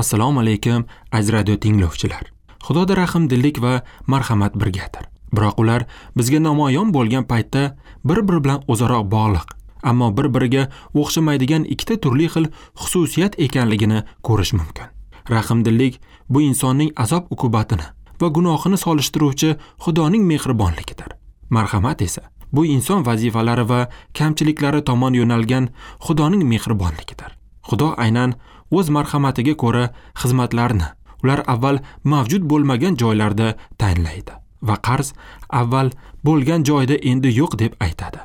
Assalomu alaykum, aziz radio tinglovchilar. Xudoda rahmdillik va marhamat birgadir. Biroq ular bizga namoyon bo'lgan paytda bir-biri bilan o'zaro bog'liq, ammo bir-biriga o'xshamaydigan ikkita turli xil xususiyat ekanligini ko'rish mumkin. Rahmdillik bu insonning azob-uqubatini va gunohini solishtiruvchi Xudoning mehribonligidir. Marhamat esa bu inson vazifalari va kamchiliklari tomon yo'nalgan Xudoning mehribonligidir. Xudo aynan o'z marhamatiga ko'ra xizmatlarni ular avval mavjud bo'lmagan joylarda tayinlaydi va qarz avval bo'lgan joyda endi yo'q deb aytadi.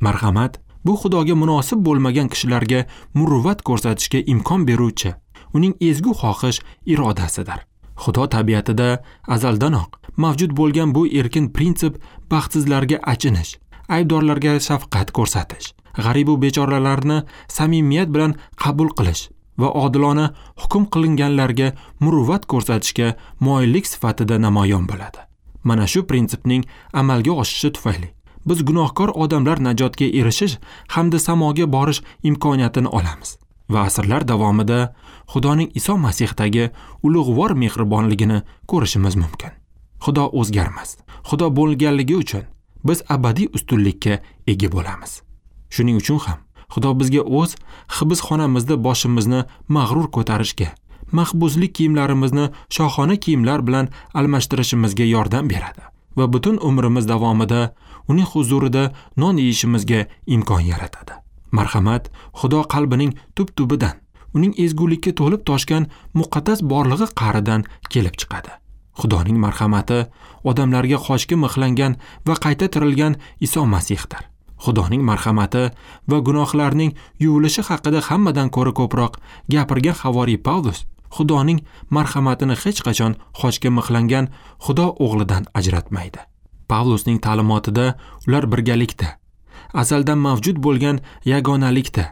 Marhamat bu Xudoga munosib bo'lmagan kishilarga muruvvat ko'rsatishga imkon beruvchi uning ezgu xohish irodasidir. Xudo tabiatida azaldanoq mavjud bo'lgan bu erkin prinsip baxtsizlarga achinish, aybdorlarga shafqat ko'rsatish, g'arib va bechoralarni samimiyat bilan qabul qilish va odilona hukm qilinganlarga muruvvat ko'rsatishga moyillik sifatida namoyon bo'ladi. Mana shu prinsipning amalga oshishi tufayli biz gunohkor odamlar najotga erishish hamda samoga borish imkoniyatini olamiz va asrlar davomida Xudoning Iso Masihdagi ulug'vor mehribonligini ko'rishimiz mumkin. Xudo o'zgarmas. Xudo bo'lganligi uchun biz abadiy ustunlikka ega bo'lamiz. Shuning uchun ham Xudo bizga o'z hibsxonamizda boshimizni mag'rur ko'tarishga, mahbuslik kiyimlarimizni shohona kiyimlar bilan almashtirishimizga yordam beradi va butun umrimiz davomida uning huzurida non yeyishimizga imkon yaratadi. Marhamat Xudo qalbining tub-tubidan, uning ezgulikka to'lib toshgan muqaddas borlig'i qa'ridan kelib chiqadi. Xudoning marhamati odamlarga xochga mixlangan va qayta tirilgan Iso Masihdir. Xudoning marhamati va gunohlarning yuvilishi haqida hammadan ko'ra ko'proq gapirgan havoriy Pavlus Xudoning marhamatini hech qachon xochga mixlangan Xudo o'g'lidan ajratmaydi. Pavlusning ta'limotida ular birgalikda, azaldan mavjud bo'lgan yagonalikda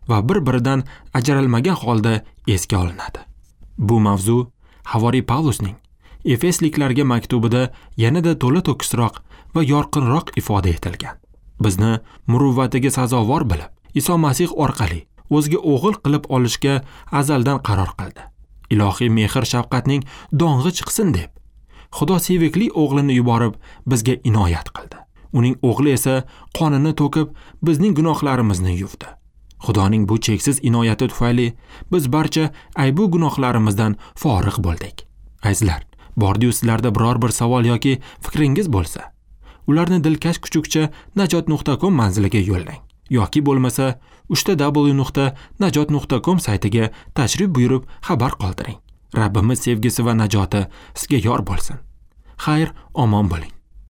va bir-biridan ajralmagan holda esga olinadi. Bu mavzu havoriy Pavlusning Efesliklarga maktubida yanada to'la to'kisroq va yorqinroq ifoda etilgan. Bizni muruvvatiga sazovor bilib, Iso Masih orqali o'ziga o'g'il qilib olishga azaldan qaror qildi. Ilohiy mehr shafqatning dong'i chiqsin deb Xudo sevikli o'g'lini yuborib bizga inoyat qildi. Uning o'g'li esa qonini to'kib bizning gunohlarimizni yuvdi. Xudoning bu cheksiz inoyati tufayli biz barcha aybu gunohlarimizdan forig' bo'ldik. Azizlar, bordi-yu sizlarda biror bir savol yoki fikringiz bo'lsa, ularni dilkash kuchukcha najot.com manziliga yo'llang yoki bo'lmasa www.najot.com saytiga tashrif buyurib xabar qoldiring. Rabbimiz sevgisi va najoti sizga yor bo'lsin. Xayr, omon bo'ling.